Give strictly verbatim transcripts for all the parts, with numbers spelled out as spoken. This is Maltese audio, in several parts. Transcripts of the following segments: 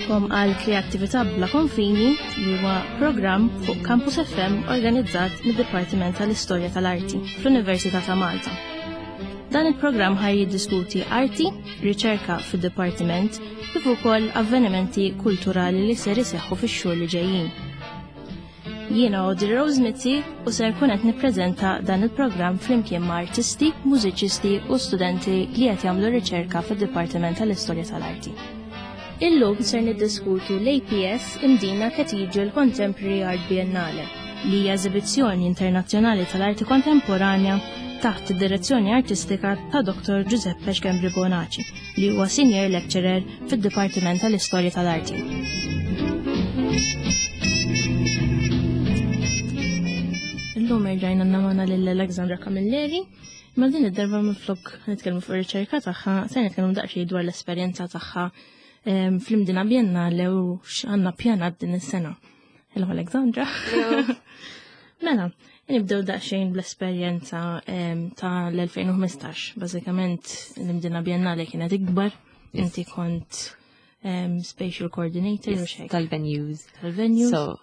Nilqagħkom għal Kreattività Bla Konfini li huwa programm fuq Campus F M organizzat mid-Dipartiment tal-Istorja tal-Arti fl-Università ta' Malta. Dan il-programm ħa jiddiskuti arti, riċerka fid-dipartiment kif ukoll avvenimenti kulturali li ser iseħħu fix-xhur li ġejjin. Jiena Audrey Rose Mizzi u ser kun qed nippreżenta dan il-programm flimkien ma' artisti, mużiċisti u studenti li qed jagħmlu riċerka fid-Dipartiment tal-Istorja tal-Arti. Illum ser niddiskutu l-A P S Mdina Cathedral Contemporary Art Biennale, li hija eżibizzjoni internazzjonali tal-arti kontemporanja taħt id-direzzjoni artistika ta' Doktor Giuseppe Schembri Bonaci, li huwa senior lecturer fid-Dipartiment tal-Istorja tal-Arti. Illum erġajna għandna lil Alexandra Camilleri, ma din id-darba minflok nitkellmu fuq ir-riċerka tagħha, se nitkellmu daqsxejn dwar l-esperjenza tagħha em, fl-Imdina Biennale u x'għandna pjanat din is-sena. Hello, Alexandra. Mela, nibdew daqsxejn bl-esperjenza em, ta' l-elfejn u ħmistax. Bażikament l-Imdina Biennale kienet ikbar, inti kont em, spatial coordinator u xejn. Tal-venues. Tal-venues. So,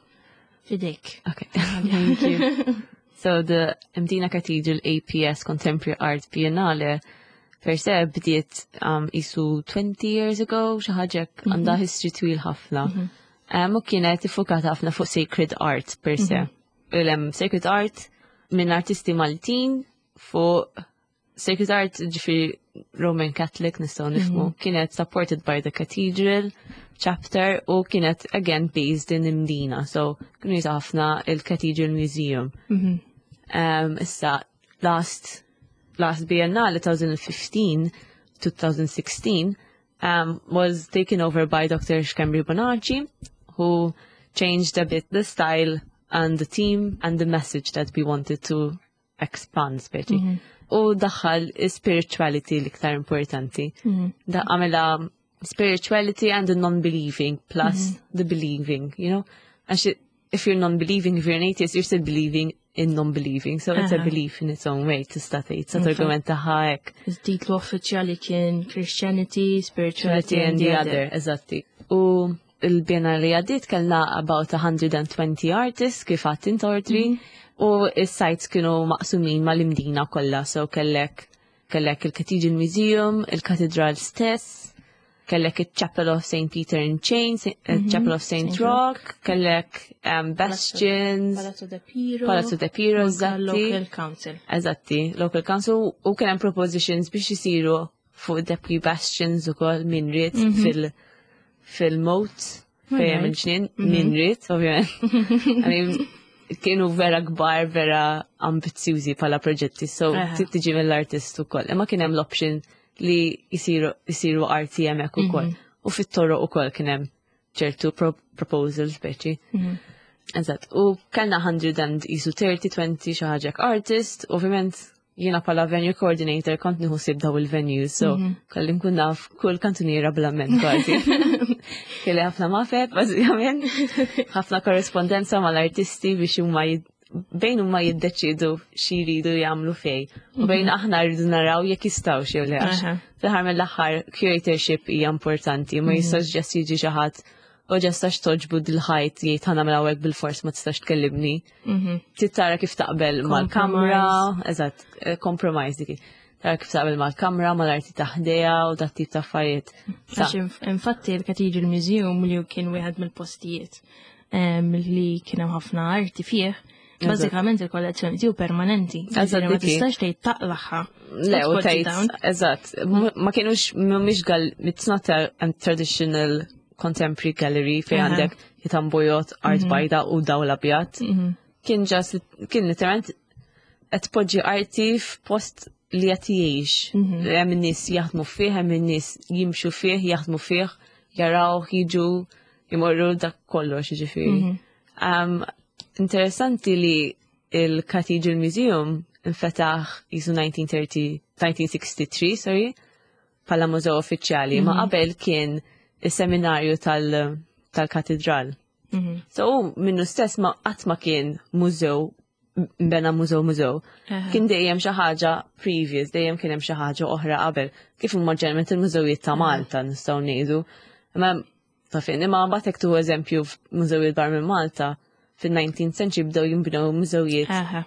fidejk. Okay, thank you. So the Mdina Cathedral A P S Contemporary Art Biennale per se bdiet um, isu twenty years ago, xi ħaġa hekk, għandha history twil ħafna. Um, u kienet iffokata ħafna fuq sacred art per se. Il-em sacred art minn artisti Maltin fuq sacred art, ġifieri Roman Catholic nistgħu nifhmu, kienet supported by the cathedral chapter u kienet again based in Imdina, so kienu jużaw ħafna il-Cathedral Museum. Um, issa, last last Biennale twenty fifteen twenty sixteen um, was taken over by Doctor Schembri Bonaci, who changed a bit the style and the theme and the message that we wanted to expand, speċi. U daħħal spirituality l-iktar importanti. Da għamela spirituality and the non-believing plus the believing, you know? Għax if you're non-believing, if you're an atheist, you're still believing in non-believing. So it's a Aha. belief in its own way, tista' tgħid. Sa targumentaha hekk. Il-titlu uffiċjali kien Christianity, Spirituality and the Other, eżatti. U il-Biennale li għaddiet kellna about one hundred twenty artists kif għedt int, Audrey, u is-sites kienu maqsumin mal-Imdina kollha, so kellek kellek il-Cathedral Museum, il-Katedral stess, kellek il-Chapel of Saint Peter in Chains, il-Chapel of Saint Saint Rock, kellek um, Bastions, Palazzo de Piro, Palazzo de Piro, anka eżatti. Local Council. Eżatti, local council, u kien hemm propositions biex isiru fuq Deputy Bastions ukoll min ried fil fil-moat fejn hemm Alright. il-ġnien, min ried, ovvjament. I mean, kienu vera kbar, vera ambizzjużi bħala proġetti, so Aha. trid tiġi mill-artist ukoll. Imma kien hemm l-option li jisiru jisiru arti hemmhekk ukoll. U fit-toroq ukoll kien hemm ċertu pro proposals speċi. Eżatt, u kellna one hundred and isu thirty, twenty xi ħaġa artist, ovvjament jiena bħala venue coordinator kont nieħu ħsieb daw il-venues, so kelli nkun naf kull kantuniera bl-amment kważi. Kelli ħafna mafet, bażikament, ħafna korrespondenza mal-artisti biex huma jid- bejn huma jiddeċidu xi jridu jagħmlu fej. U bejn aħna rridu naraw jekk jistgħu jew le, għax Aha. fl-aħħar mill-aħħar curatorship hija importanti, ma jistax just jiġi xi ħadd u just għax togħġbu dil-ħajt jgħid ħa nagħmel hawnhekk bil-fors, ma tistax tkellimni. Trid tara kif taqbel mal-kamra, eżatt, eh, compromise dik. Tara kif taqbel mal-kamra, mal-arti ta' ħdejha u dat tip ta' affarijiet. Sa- Għax inf- infatti il-Cathedral Museum li kien wieħed mill-postijiet em, li kien hemm ħafna arti fih, bażikament il-kollezzjoni tiegħu permanenti. Eżatt, Ġifieri ma dik hi. tistax tgħid taqlagħha. Le, u tpoġġi tgħid, down. Eżatt, m- ma kienux, mhumiex gal, it's not a, a traditional contemporary gallery fej Aha. għandek ħitan bojod, art bajda u dawl abjad. Kien just, kien literalment qed tpoġġi arti f'post li qed jgħix. Hemm in-nies jaħdmu fih, hemm in-nies jimxu fih, jaħdmu fih, jaraw, jiġu, jmorru, dak kollox, ġifieri. Um, interessanti li il-Cathedral Museum infetaħ jisu nineteen thirty, nineteen sixty-three, sorry, bħala mużew uffiċjali, ma qabel kien is-seminarju tal- tal-katedral. So u minnu stess ma qatt ma kien mużew bena mużew mużew. Aha. Kien dejjem xi ħaġa previous, dejjem kien hemm xi ħaġa oħra qabel. Kif huma ġeneralment il-mużewijiet ta' Malta, nistgħu ngħidu. Imma Ta' fejn, imma mbagħad hekk tu eżempju f'mużewijiet barra minn Malta, fil-nineteenth century bdew jinbnew mużewijiet Aha.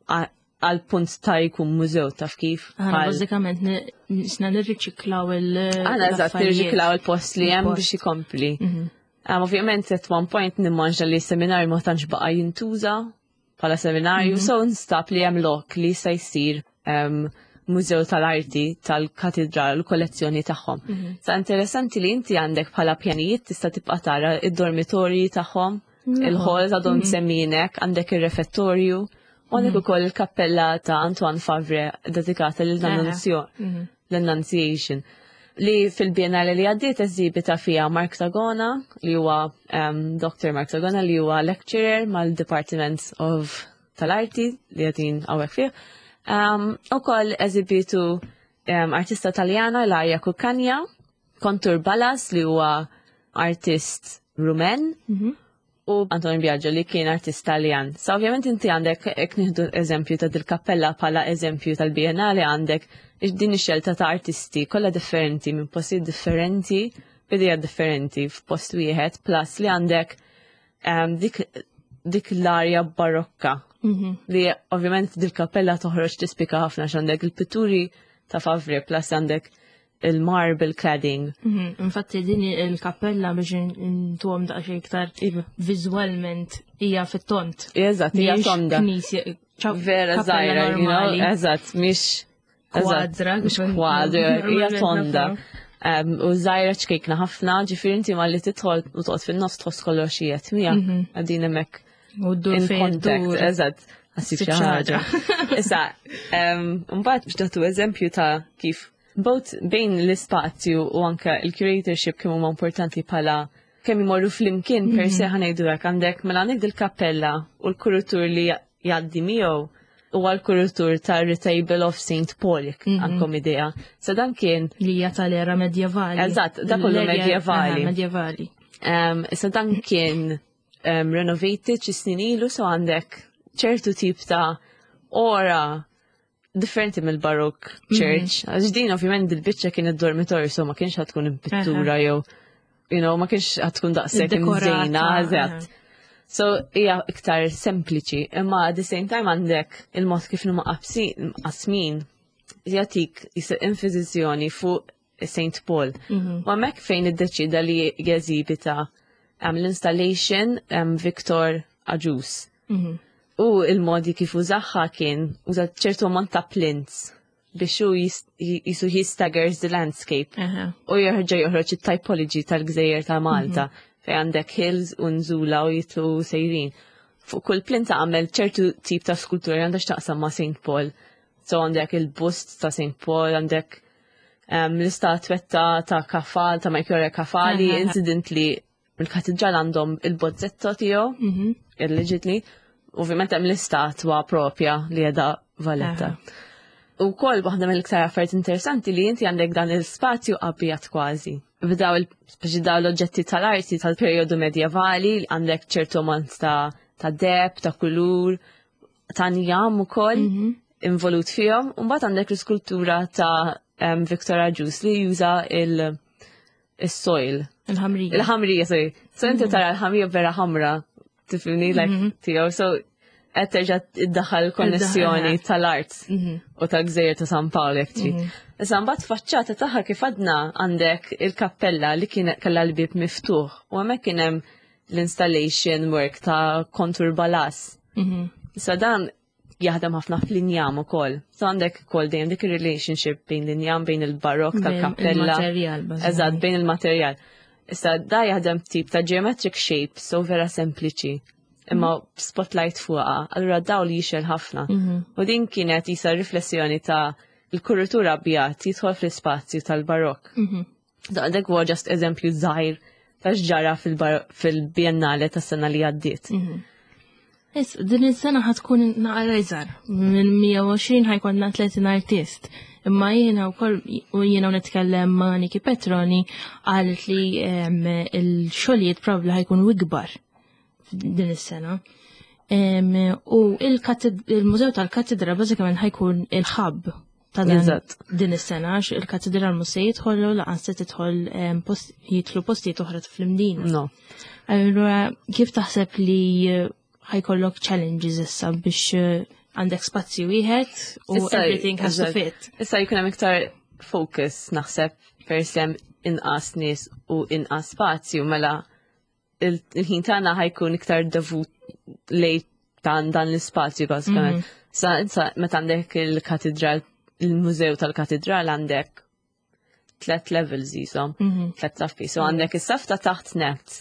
a- għal punt ta' jkun mużew, taf kif. Aħna Bħal- bażikament ni- nisna nirriċiklaw il- Aħna eżatt l-affarijiet. nirriċiklaw il-post li hemm Il-post. biex ikompli. Mhm. Um, ovvjament at one point nimmaġina li seminarju ma tantx baqa' jintuża bħala seminarju, so nstab li hemm lok li jista' jsir um, mużew tal-arti tal-katedral u kollezzjoni tagħhom. Sa interessanti li inti għandek bħala pjanijiet tista' tibqa' tara id-dormitorji tagħhom, il-halls għadhom semminek, għandek ir-refettorju, u għandek ukoll il-kappella ta' Antoine Favre dedikata lil Mhm. l-Annunciation, li fil-Biennale li għaddiet eżibita fija Mark Sagona, li huwa um, Doctor Mark Sagona, li huwa lecturer mal-Department of tal-Arti li għadin hawnhekk fih. Um, u koll eżibitu um, artista taljana Ilaria Cuccagna, Kontur Balas li huwa artist Rumen, Mhm. u Antonio Biagio li kien artist Taljan. Sa ovvjament inti għandek, jekk nieħdu eżempju ta' dil-kappella bħala eżempju tal-Biennale, għandek din ix-xelta ta' artisti kollha differenti minn postijiet differenti, b'idea differenti f'post wieħed, plus li għandek um, dik, dik l-arja barokka Mhm. li ovvjament dil-kappella toħroġ tispika ħafna x'għandek il-pitturi ta' Favre plus għandek il-marble cladding. Mhm. Infatti din il-kappella, biex intuhom daqsxejn iktar Iva. viżwalment, hija fit-tont. Eżatt, hija Mhijiex tonda. knisja, ċaw- Vera kappella żgħira, you know, normali. eżatt, mhix eżatt, Kwadra, mhix kif kwadra, hija normalment tonda. nafu. Um, u żgħira, ċkejkna ħafna, ġifieri inti malli tidħol u toqgħod fin-nofs tħoss kollox qiegħed miegħek, Mhm. qegħdin hemmhekk U ddur in fejn contact, ddur. eżatt, ħassib xi Ssib xi ħaġa. Issa, um, mbagħad biex nagħtu eżempju ta' kif both bejn l-ispazju u anke il-curatorship kemm huma importanti bħala kemm imorru flimkien per se, ħa ngħidu hekk, għandek mela għandek dil-kappella u l-kuritur li jgħaddi miegħu huwa l-kuritur ta' Retable of Saint Paul, jekk għandkom idea. So dan kien Li hija tal-era medjevali. Eżatt, da kollu L-erja- medjevali. Aha, medjevali. Um, issa dan kien um, renovated xi snin ilu, so għandek ċertu tip ta' ora differenti mill-Baroque Church. Għax din ovvjament dil-biċċa kien id-dormitorju, so ma kienx ħa tkun pittura jew you know, ma kienx ħa tkun daqshekk Dekorata, imżejna, eżatt. So hija iktar sempliċi, imma at the same time għandek il-mod kif huma qasmin jagħtik jisa enfasizjoni fuq Saint Paul. Mhm. U hemmhekk fejn iddeċida li jeżibita um, l-installation um, Victor Agius. Mhm. U il-modi kif użaha kien uża ċertu ammont ta' plinths biex hu jis- jisu he staggers the landscape Aha. u jerġa' joħroġ it-typology tal-gżejjer ta' Malta fejn għandek hills u nżula u jitlu sejrin. Fuq kull plinta għamel ċertu tip ta' skultura li għandha x'taqsam ma' Saint Paul. So għandek il-bust ta' Saint Paul, għandek um, l-istatwetta ta' Kafal, ta' Melchiorre Kafali, Aha. incidentally il-katedral għandhom il-bozzetto tiegħu, Mhm. allegedly. Ovvjament hemm l-istatwa propja li qiegħda Valletta. U koll waħda mill-iktar affarijiet interessanti li inti għandek dan il-spazju abjad kważi. B'daw il speċi daw l-oġġetti tal-arti tal-perjodu medjevali, għandek ċertu ammont ta' ta' deheb, ta' kulur, ta' njam ukoll Mhm. involut fihom. U mbagħad għandek l-iskultura ta' um, Victor Agius li juża il- il-soil. Il-ħamrija. Il-ħamrija, sorry. So inti tara l-ħamrija vera ħamra, tifhimni, like, tiegħu. So qed terġa' iddaħħal konnessjoni Iddaħħal. tal-art Mhm. u tal-gżejjer ta' San Pawl jekk trid. Issa mbagħad faċċata tagħha kif għadna għandek il-kappella li kien kellha l-bib miftuħ u hemmhekk kien hemm l-installation work ta' Kontur Balas. Mhm. Issa dan jaħdem ħafna fl-injam ukoll. So għandek ukoll dejjem dik ir-relationship bejn l-injam, bejn il-barok Bejn tal-kappella. il-materjal, bażikament. Eżatt, bejn il-materjal. Issa da jaħdem tip ta' geometric shape, so vera sempliċi. Imma spotlight fuqha, allura dawl jixgħel ħafna. Mhm. U din kienet jisa riflessjoni ta' il-kuritur abjad jidħol fl-ispazju tal-barok. Mhm. Da dak huwa just eżempju żgħir ta' x'ġara fil-bar- fil-Biennale tas-sena li għaddiet. Mhm. Is, din is-sena ħa tkun naqra iżgħar. Minn mija u għoxrin ħa jkollna tletin artist. Imma jiena wkoll u jiena nitkellem ma' Niki Petroni, qalet li em, il-xogħlijiet probabbli ħa jkunu ikbar din is-sena. Em, U il-kated- il-Mużew tal-Katedra bażikament ħa jkun il-hub ta' dan Eżatt. din is-sena għax il-katedral mhux se jidħollu lanqas se tidħol em, post, jidħlu postijiet oħra fl-Imdina. No. Allura kif taħseb li eh, ħa jkollok challenges issa biex eh, għandek spazju wieħed u Issa- everything has to eżatt. fit. Issa jkun hemm iktar focus naħseb peress hemm inqas nies u inqas spazju mela il- il-ħin tagħna ħa jkun iktar devut lejn dan dan l-ispazju bażikament. Sa issa meta għandek il-katedral, il-mużew tal-katedral għandek tlet levels jisom, tlet saffi. So għandek is-saf ta' taħt net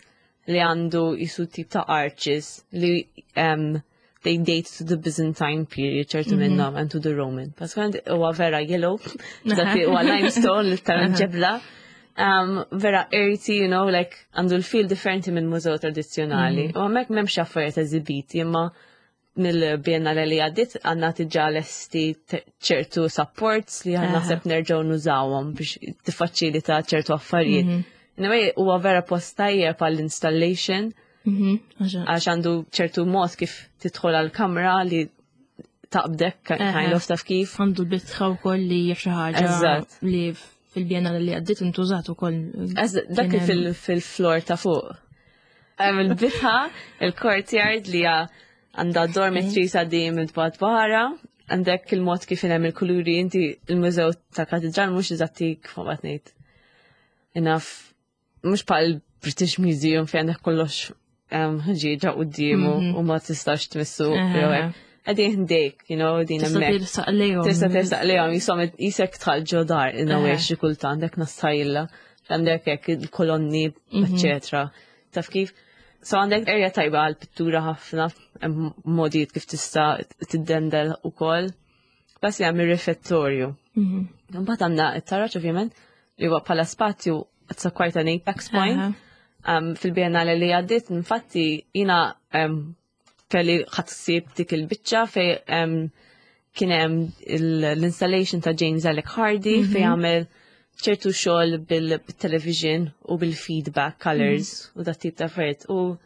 li għandu jisu tip ta' arches li um, they date to the Byzantine period, ċertu minnhom, and to the Roman. Bażikament huwa vera yellow, dak huwa limestone, literalment ġebla. Um, vera earthy, you know, like għandu l-feel differenti minn mużew tradizzjonali. U hemmhekk m'hemmx affarijiet eżibiti, imma mill-Biennale li għaddit għandna diġà lesti te- ċertu supports li għandna naħseb nerġgħu nużawhom biex tiffaċilita ċertu affarijiet. Anyway, huwa vera post tajjeb għall-installation Mhm, għaxa- għax għandu ċertu mod kif tidħol għal-kamra li taqbdek kind of taf kif. Għandu l-bitħa wkoll li hija xi ħaġa Eżatt. li fil-Biennale li għaddit intużat ukoll. Eż- Dak Kien hemm- fil- fil-floor ta' fuq. Hemm il-bitħa, il-courtyard li hija għandha dormitory sa' dim il-bad barra, għandek il-mod kif hemm il-kuluri inti il-mużew ta' katedral mhux eżatti kif ma ngħid. Enough, mhux bħal British Museum fejn għandek kollox em, ħġieġa quddiemu u ma tistax tmissu. Aha. jew hekk. Qegħdin ħdejk, you know, din Tista' hemmhekk. tirsaq lejhom. Tista' tersaq lejhom jisom jisek tħal ġo dar in a way Aha. xi kultant hekk nastajla. Għandek hekk il-kolonni, eccetera. Taf kif? So għandek area tajba għal pittura ħafna, hemm modijiet kif tista' tiddendel ukoll. Bas hemm ir-refettorju. Mhm. Mbagħad għandna it-taraġ ovvjament li huwa bħala spazju it's a quite an apex point. Aha. Um, fil-Biennale li għaddit, infatti, jina um, kelli ħadsib dik il-biċċa fej um, kien hemm l-installation ta' James Alec Hardy fej għamel ċertu xogħol bil-television u bil-feedback colors u dat tip ta' affarijiet. U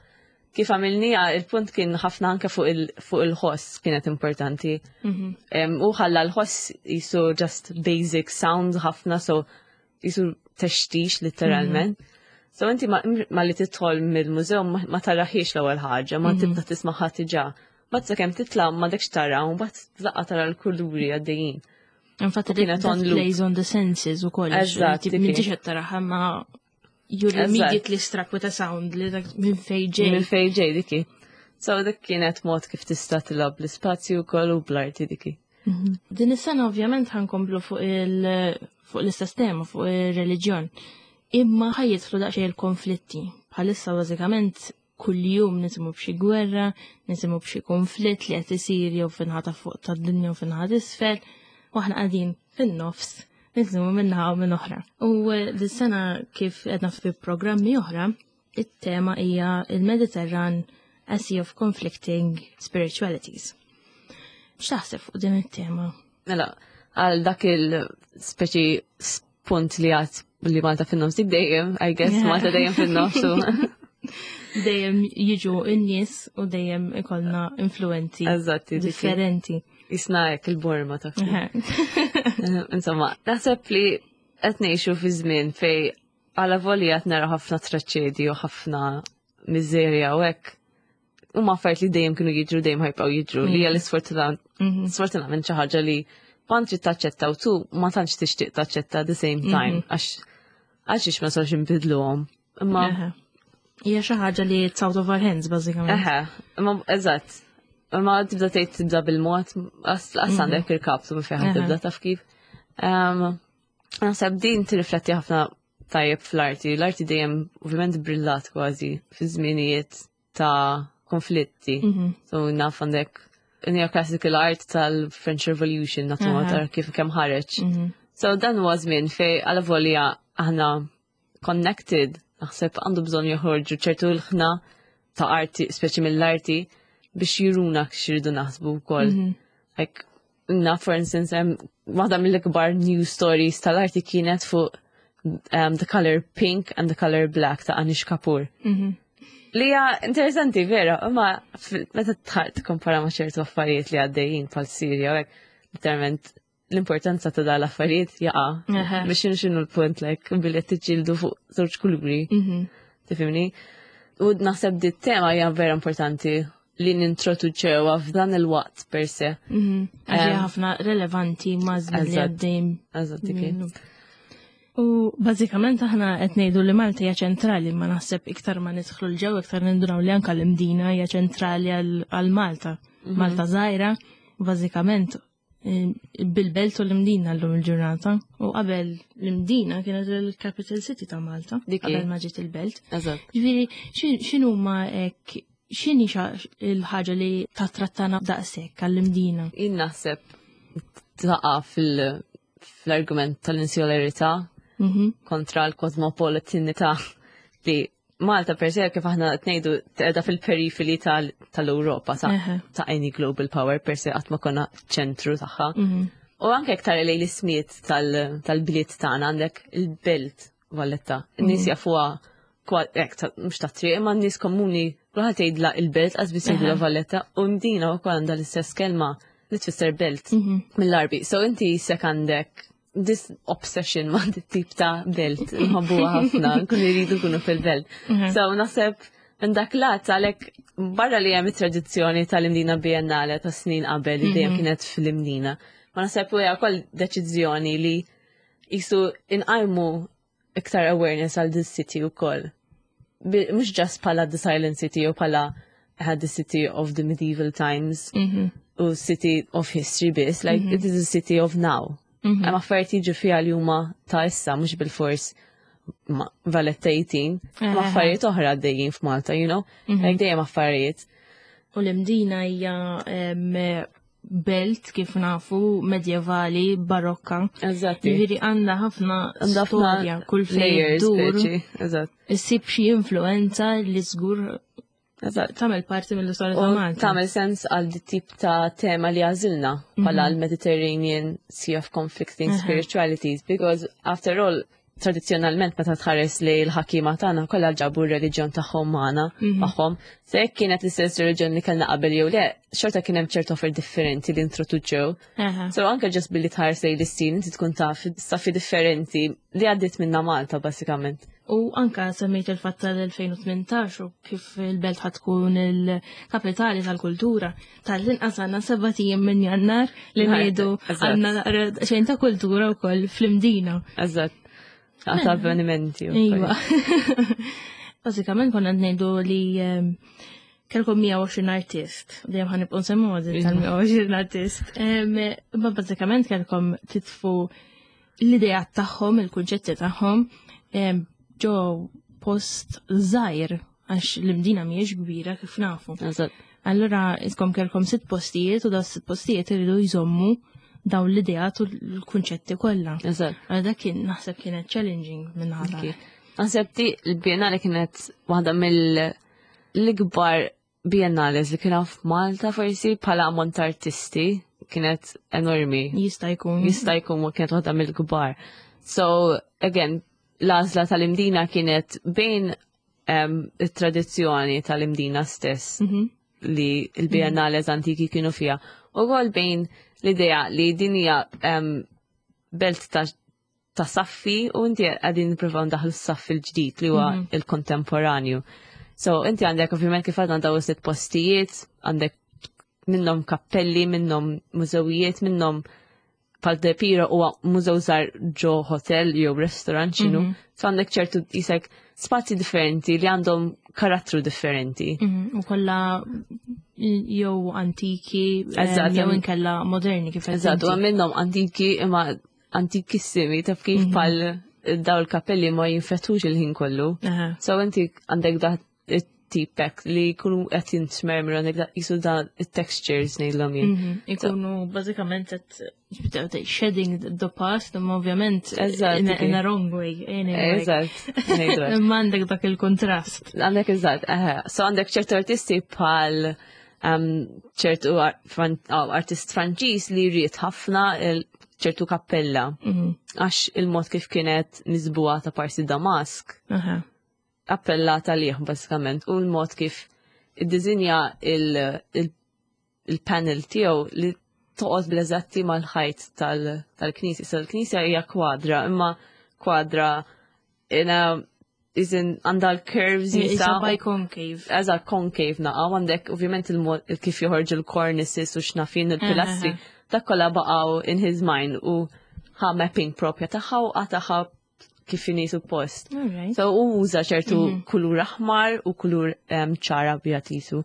kif għamilnija, il-punt kien ħafna anke fuq il- fuq il-ħoss kienet importanti. Um, u ħalla l-ħoss jisu just basic sound ħafna, so jisu textix literalment. So inti ma, ma li tidħol mill-mużew ma, ma taraħiex l-ewwel ħaġa, ma tibda tismaħħa diġà. Mbagħad sakemm titla' m'għadekx tara, u mbagħad laqqa tara l-kuluri għaddejjin. Infatti kienet that on loop. plays on the senses u kollox. Eżatt, Tip dik M'intix qed taraha ma you're Eżatt. immediately struck with a sound li dak minn fejn ġej. Minn fejn ġej diki. So dik kienet mod kif tista' tilgħab l-ispazju wkoll u bl-arti diki. Din is-sena ovvjament ħa nkomplu fuq il fuq l-istess tema, fuq ir-reliġjon. Imma ħa jidħlu daqsxejn il-konflitti. Bħalissa bażikament kuljum nisimgħu b'xi gwerra, nisimgħu b'xi konflitt li qed isir jew fin-naħa ta' fuq tad-dinja u fin-naħa t'isfel, u aħna qegħdin fin-nofs nisimgħu min-naħa u minn oħra. U eh, dis-sena kif qedna fi programmi oħra, it-tema hija il-Mediterran a Sea of Conflicting Spiritualities. X'taħseb fuq din it-tema? Mela, għal dak il-speċi punt li għat li Malta fin-nofs dik dejjem, I guess, Yeah. Malta dejjem fin-nofs. u- Dejjem jiġu n-nies u dejjem ikollna influenzi Eżatti, dik. differenti. Jisna hekk il-borma ta' Eħe. Insomma, naħseb li qed ngħixu fi żmien fej għala volja qed nara ħafna traċedji u ħafna miżerja u hekk. Huma affarijiet li dejjem kienu jiġru dejjem ħa jibqgħu jiġru li hija l-isfortunat sfortunatament xi ħaġa li ma trid taċċetta u tu ma tantx tixtieq taċċetta at the same time għax għax ma sarx inbidluhom. Imma Eħe. Hija xi ħaġa li it's out of our hands bażikament. Eħe, imma eżatt. Imma tibda tgħid tibda bil-mod, as għandek il-kaptu minn fejn Eħe. tibda taf kif. Em, Naħseb din tirrifletti ħafna tajjeb fl-arti. L-arti dejjem ovvjament brillat kważi fi żminijiet ta' konflitti. So naf għandek neoclassical art tal-French Revolution natu Aha. tara kif kemm ħareġ. So dan huwa żmien fej għala volja aħna connected, naħseb għandu bżonn joħorġu ċertu l-ħna ta' arti, speċi mill-arti, biex juruna x'iridu naħsbu wkoll. Like, na, for instance, hemm waħda mill-ikbar news stories tal-arti kienet fuq um, the color pink and the color black ta' Anish Kapoor. Li hija interessanti vera, imma fil- meta tħar tikkompara ma' ċertu affarijiet li għaddejjin bħal Sirja u hekk, literalment L-importanza ta' dal affarijiet jaqa'. Aha. Biex xinu xinu l-punt, like, billi qed tiġġieldu fuq żewġ kuluri. Mhm. Tifhimni? U naħseb di tema hija vera importanti li nintroduċewha f'dan il-waqt per se. Mhm. Għax hija Em, ħafna relevanti ma' żmien li Eżatt. għaddejn. Eżatt, dik. minnu. U bażikament aħna qed ngħidu li Malta hija ċentrali, ma naħseb iktar ma nidħlu 'l ġewwa iktar nindunaw li anke l-Imdina hija ċentrali għal għal Malta. Mhm. Malta żgħira, bażikament eh, bil-belt u l-Imdina llum il-ġurnata. U qabel l-Imdina kienet il-capital city ta' Malta, Dik hi. qabel ma ġiet il-belt. Eżatt. Ġifieri, x'inhuma hekk, x'inhi xa- il-ħaġa li tattrattana daqshekk għall-Imdina? Jien naħseb taqa' fil- fl-argument tal-insularità Mhm. kontra l-kosmopolitanità li Malta per se, kif aħna qed ngħidu, qiegħda fil-periferi tal- tal-Ewropa ta' Eħe. ta' any global power per se, qatt ma konna ċentru tagħha. Mhm. U anke iktar li l-ismijiet tal- tal-bliet tagħna, għandek il-belt Valletta. In-nies jafuha kwa- ek, ta- mhux ta' triq, imma n-nies komuni kulħadd jgħidla il-belt qas biss jgħidula Eħe. Valletta, u Mdina wkoll għandha l-istess kelma li tfisser belt Mhm. mill-Għarbi. So inti sek għandek this obsession ma' dit tip ta' belt, nħobbuha ħafna, nkunu jridu nkunu fil-belt. Mhm. So naħseb minn dak lat għalhekk, barra li hemm it-tradizzjoni tal-Imdina Biennale ta' snin qabel li dejjem kienet fl-Imdina. Ma naħseb u hija wkoll deċiżjoni li jisu inqajmu iktar awareness għal this city ukoll. Bi- Mhux just bħala the Silent City u bħala had the city of the medieval times Mhm. u city of history biss, like, it is a city of now. Mhm. Hemm affarijiet jiġu fiha li huma ta' issa, mhux bil-fors ma- Valletta eighteen. Hemm Eħe. affarijiet oħra għaddejjin f'Malta, you know? Like, dejjem affarijiet. U l-Imdina hija em, belt, kif nafu, medjevali, barokka. Eżatti. Ġifieri għandha ħafna Għandha ħafna storja, kull fejn layers, dur. speċi. Eżatt. Issib xi influenza li żgur Eżatt. tagħmel parti mill-istorja ta' U Malta. tagħmel sens għal di tip ta' tema li għażilna bħala l-Mediterranean Sea of Conflicting Aha. Spiritualities, because after all, tradizzjonalment meta tħares li l-ħakima tagħna kollha ġabu r-reliġjon tagħhom magħna magħhom. Se jekk kienet l-istess reliġjon li kellna qabel jew le, xorta kien hemm ċertu offer differenti li introduċew. Aha. So anke just billi tħares lejn l-istil, inti tkun taf saffi differenti li għaddiet minna Malta basikament. U anka semmejt il-fatt tal-elfejn u tmintax u kif il-belt ħa tkun il-kapitali tal-kultura. Tal-inqas għandna sebat ijiem minn Jannar li ngħidu Eżatt. għandna naqra xejn ta' kultura wkoll fl-Imdina. Eżatt. Għata avvenimenti. u Iva. Bażikament konna ngħidu li em, kellkom mija u għoxrin artist. Dejjem ħa nibqgħu nsemmu din tal-mija u għoxrin artist. Em, Imma bażikament kellkom titfu l-idejat tagħhom, il-kunċetti tagħhom em, ġo post żgħir, għax l-Imdina mhijiex kbira kif nafu. Eżatt. Allura iskom kellkom sitt postijiet u daw sitt postijiet iridu jżommu dawn l-idejat u l-kunċetti kollha. Eżatt. Għal dak kien naħseb kienet challenging minn ħadd. Okay. Naħseb di l-Biennale kienet waħda mill-ikbar biennales li kien f'Malta forsi bħala ammont ta' artisti, kienet enormi. Jista' jkun. Jista' jkun kienet waħda mill-kbar. So, again, l-għażla tal-Imdina kienet bejn um, it-tradizzjoni tal-Imdina stess Mhm. li l-biennales antiki kienu fija. U għol bejn l-idea li din hija um, belt ta' ta' saffi u inti qegħdin nippruvaw ndaħlu s-saffi l-ġdid li huwa il-kontemporanju. So inti għandek ovvjament, kif għadna, daw sitt postijiet, għandek minnhom kappelli, minnhom mużewijiet, minnhom pal Depiro huwa mużew żgħar ġo hotel jew restaurant x'inhu. So għandek ċertu jisek spazji differenti li għandhom karattru differenti. Mhm, U kollha jew antiki em, Eżatt, jew em- inkella moderni kif qed Eżatt, u inti. minnhom antiki imma antikissimi, taf kif, pal daw il-kappelli ma jinfetux il-ħin kollu. Aha. So inti għandek da it-tipek li jkunu qed jintmermru, għandek da jisu da it-textures ngħidlhom jien. Mhm, Ikunu bażikament qed shedding the past, imma ovvjament Eżatt, in a, okay. in a wrong way. Anyway. Eżatt, ngħidu hekk. Imma għandek dak il-kontrast. Għandek, eżatt, eħe. So għandek ċertu artisti bħal um, ċertu ar- fran- oh, artist Franċiż li jrid ħafna il- ċertu kappella. Mhm. Għax il-mod kif kienet miżbugħa ta' parsi Damask Aha. appellata liħ basikament u l-mod kif id-dizinja il- il- il-panel tiegħu li Toqgħod bl-eżatti mal-ħajt tal-knisja. So l-knisja hija kwadra, imma kwadra in a iżin għandha l-curves. Jisa. Biconcave. Eżatt, concave naqa, għandek ovvjament il-mod kif joħorġu l-cornices u x'nafin il-pilastri, dak kollha baqgħu in his mind u ħa mapping propja tagħha u qatagħha kif inhi suppost. So u uża ċertu mhm. kulur aħmar u kulur ċara abjad jisu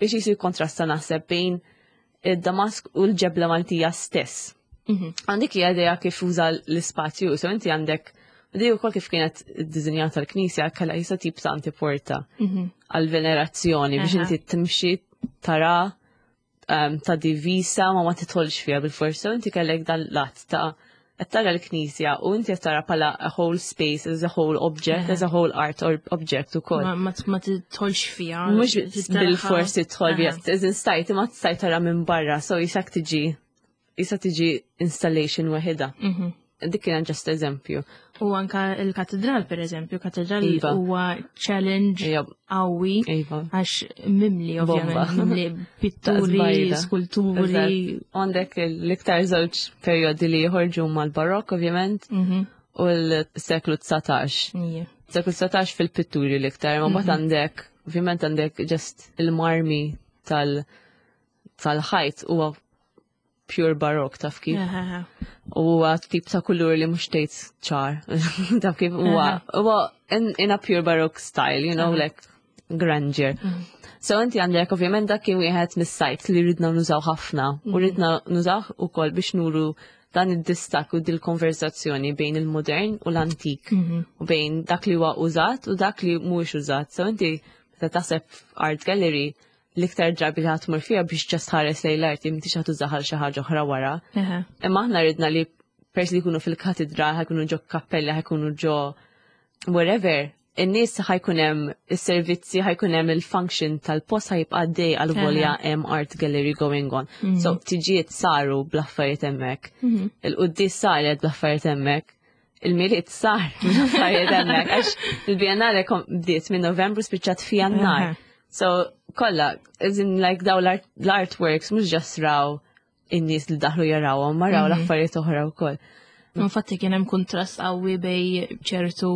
biex jisu kontrasta naħseb bejn id-Damask u l-ġebla Maltija stess. Mhm. Għandek hija idea kif uża l-ispazju, so inti għandek di wkoll kif kienet iddisinjata l-knisja, kellha jisa tip ta' antiporta mhm. għal-venerazzjoni biex inti timxi tara um, ta' divisa ma ma titħolx fiha bil-forsa, inti kellek dan lat ta' qed tara l-knisja u inti qed tara bħala a whole space as a whole object, as a whole art or object ukoll. Ma ma tidħolx fiha. Mhux bil-forsi tidħol fiha, iżin stajt imma stajt tara minn barra, so jisak tiġi jisa tiġi installation waħida. Mhm. Dik kien just eżempju. U anka il-katedral, per eżempju, katedral iva. huwa challenge qawwi iva. għax mimli, ovvjament, mimli pitturi, skulturi. Għandek l-iktar żewġ periodi li jħorġu mal-barok, ovvjament, mhm. u l-seklu dsatax. Seklu dsatax fil-pitturi l-iktar, ma mbagħad mhm. għandek, ovvjament għandek just il-marmi tal- tal-ħajt huwa pure barok, taf kif. U huwa tip ta' kulur li mhux tgħid ċar. Taf kif huwa huwa in, in a pure baroque style, you know, like grandeur. Mhm. So inti għandek ovvjament dak kien wieħed mis-sites li ridna nużaw ħafna u mhm. ridna nużaw ukoll biex nuru dan id-distak u dil-konversazzjoni bejn il-modern u l-antik mhm. u bejn dak li huwa użat u dak li mhuwiex użat. So inti meta taħseb art gallery, l-iktar drabi li ħa tmur fiha biex just ħares lejn l-arti, m'intix ħa tużaha xi ħaġa oħra wara. Imma aħna ridna li pers li jkunu fil-katedra, ħa jkunu ġo kappella, ħa jkunu ġo wherever, in-nies ħa jkun hemm is-servizzi, ħa jkun hemm il-function tal-post ħa jibqa' għaddej għal volja hemm art gallery going on. Mhm. So tiġijiet saru bl-affarijiet hemmhekk. Mhm. Il-quddies saret bl-affarijiet hemmhekk. Il-Milied sar bl-affarijiet hemmhekk għax il-Biennale bdiet minn Novembru, spiċċat fi Jannar. So kollha, as in like daw l-artworks mhux just raw in-nies li daħlu jarawhom, ma raw mhm. l-affarijiet oħra wkoll. Infatti kien hemm kontrast qawwi bej ċertu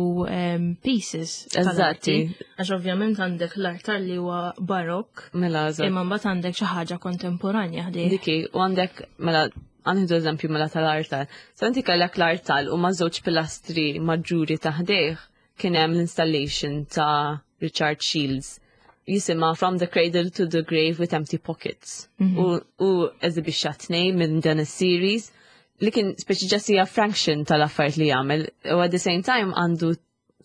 pieces. Eżatti. Għax ovvjament għandek l-artar li huwa barok. Mela, Imma mbagħad għandek xi ħaġa kontemporanja ħdejh. Diki, u għandek mela għanħidu eżempju mela tal-artal. So inti kellek l-artal u ma' żewġ pilastri maġġuri ta' ħdejh kien hemm l-installation ta' Richard Shields jisimha From the Cradle to the Grave with Empty Pockets. Mm -hmm. U, u eżibixxa tnejn minn dan is-series li kien speċi just hija fraction tal-affarijiet li jagħmel. U at the same time għandu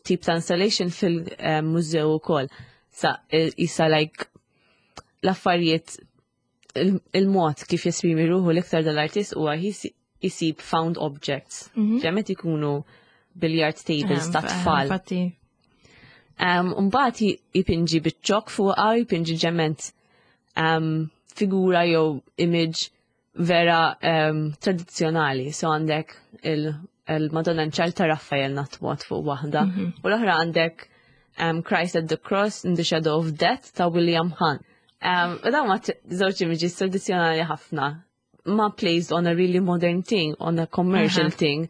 tip ta' installation fil-mużew ukoll. Sa issa like l-affarijiet, il-mod kif jesprimi ruħu l-iktar dal-artist huwa jisib found objects. Mm -hmm. Ikunu billiard tables ta' tfal. Mbagħad jipinġi biċ-ċokk fuqha, jipinġi ġement um, figura jew image vera um, tradizzjonali. So għandek il-Madonna nċal ta' Raffael natwat fuq waħda. Mm -hmm. U l-oħra għandek um, Christ at the Cross in the Shadow of Death ta' William Hunt. Um, u dawn ma żewġ images tradizzjonali ħafna ma placed on a really modern thing, on a commercial uh -huh. thing,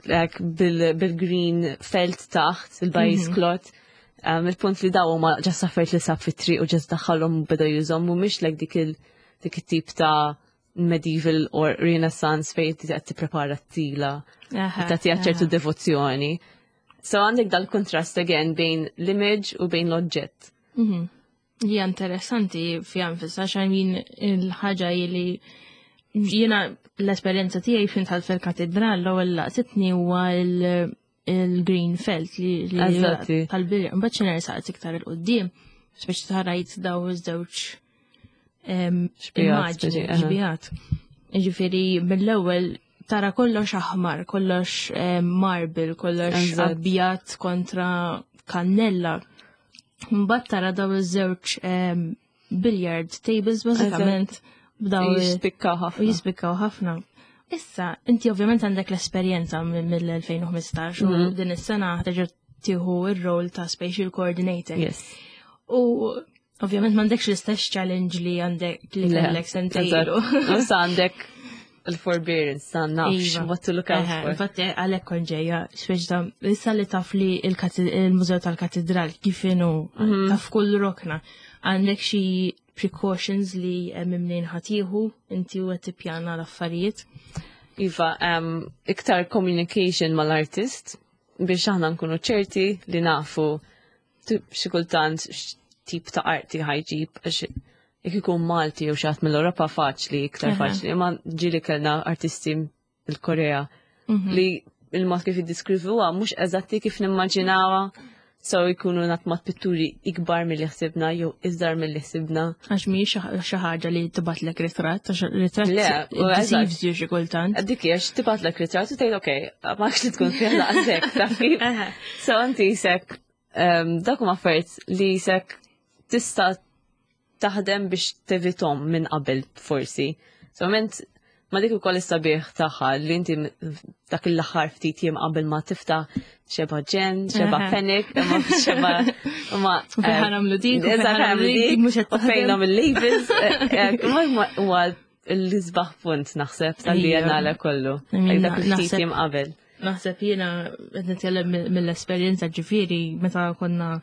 like bil-green bil felt taħt, il-baize mm -hmm. cloth. Um, il-punt li daw ma just affarijiet li sab fit-triq u just daħħalhom beda jużhom, mhumiex like dik il dik it-tip ta' medieval or Renaissance fejn qed tipprepara t-tila, tagħtiha ċertu devozzjoni. So għandek dal-kontrast again bejn l-image u bejn l-oġġett. Mhm. Hija interessanti fiha nfisha għax min il-ħaġa li jiena l-esperjenza tiegħi fin dħalt fil-katedral, l-ewwel laqtitni huwa il-green felt li tal-bilja. Mbagħad xi nersaqt iktar il-qudiem biex tarajt daw iż-żewġ immaġni, xbihat. Ġifieri mill-ewwel tara kollox aħmar, kollox marble, kollox abjad kontra kannella. Mbagħad tara daw iż-żewġ billiard tables bażikament b'daw jispikkaw ħafna. Jispikkaw ħafna. Issa, inti ovvjament għandek l-esperjenza mill-elfejn u ħmistax u mhm. din is-sena terġa' tieħu ir-rol ta' spatial coordinator. Yes. U ovvjament m'għandekx l-istess challenge li għandek li kellek sentejlu. Issa għandek il-forbearance ta' nafx Iva. what to look out Eħe, for. Infatti għalhekk kont ġejja, speċi ta' issa li taf li il-kati- il-Mużew tal-Katedral kif inhu Mhm. taf kull rokna. Għandek xi precautions li hemm mnejn ħa tieħu inti u qed tippjana l-affarijiet. Iva, um, iktar communication mal-artist biex aħna nkunu ċerti li nafu tu- xi kultant x'tip ta' arti ħa jġib, għax jekk ikun Malti jew xi ħadd mill-Ewropa faċli, iktar Aha. faċli, imma ġieli kellna artisti mill-Korea Mhm. li il-mod kif jiddiskrivuha mhux eżatti kif nimmaġinawha, so jkunu natmat pitturi ikbar milli ħsibna jew iżgħar milli ħsibna. Għax mhijiex xi ħaġa li tibgħatlek ritratt, għax ritratt Le, u eżatt. deceives you xi kultant. Dik hija tibgħatlek ritratt u tgħid okej, ma li tkun fih laqsek, taf kif? Eħe. So inti jisek, um, dak huma affarijiet li jisek tista' taħdem biex tevitahom minn qabel forsi. So ment ma dik ukoll is-sabiħ tagħha li inti dak l-aħħar ftit jiem qabel ma tiftaħ xeba ġen, xeba Aha. panic, imma xeba imma U fejn ħa nagħmlu dik, u fejn Eżatt, ħa nagħmlu dik, dik mhux qed u fejn taħdem. nagħmel labels, eh, imma huwa l-isbaħ punt naħseb tal-Biennale kollu. I mean, Dak il-ftit naħseb- jiem qabel. Naħseb jiena qed nitkellem mill- mill-esperjenza ġifieri meta konna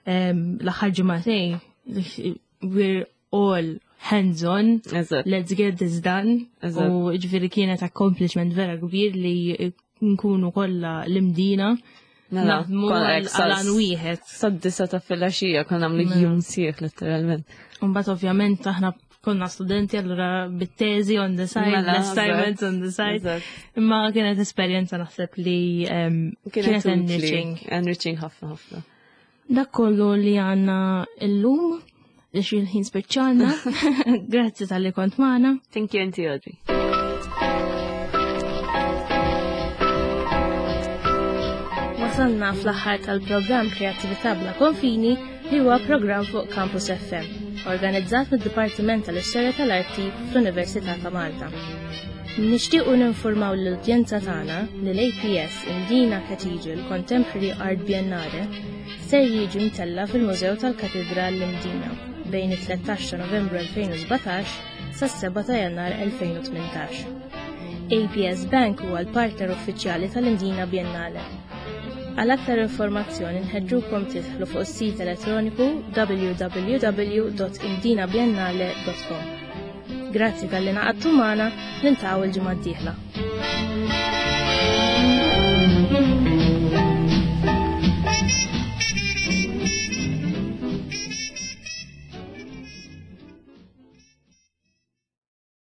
em, l-aħħar ġimagħtejn we're all hands on, Eżatt. let's get this done. Eżatt. U ġifieri kienet accomplishment vera kbir li nkunu kollha l-Imdina Mela, naħdmu konna għal hekk sa- għal wieħed. Sad-disgħa ta' filgħaxija konna nagħmlu Mela. jum sħiħ letteralment. Mbagħad ovvjament aħna konna studenti allura bit-teżi on the side, Mela, l-assignments eżatt. on the side. Eżatt. Imma kienet esperjenza naħseb li em, kienet utli. enriching. Enriching ħafna ħafna. Dak kollu li għandna illum, li xi ħin spiċċana. Grazzi talli kont magħna. Thank you, Auntie Audrey. Wasalna fl-aħħar tal-programm Kreatività bla konfini li huwa programm fuq Campus F M, organizzat mid-Dipartiment tal-Istorja tal-Arti fl-Università ta' Malta. Nixtiequ ninformaw l-udjenza tagħna li l-A P S Mdina Cathedral Contemporary Art Biennale ser jiġi mtella fil-Mużew tal-Katedral l-Imdina bejn it-tlettax ta' Novembru elfejn u sbatax sas-sebgħa ta' Jannar elfejn u tmintax. A P S Bank huwa l-partner uffiċjali tal-Imdina Biennale. Għal aktar informazzjoni nħeġġukom tidħlu fuq is-sit elettroniku w w w punt imdinabiennale punt com. Grazzi talli ngħaqadtu magħna, niltaqgħu il-ġimgħa d-dieħla.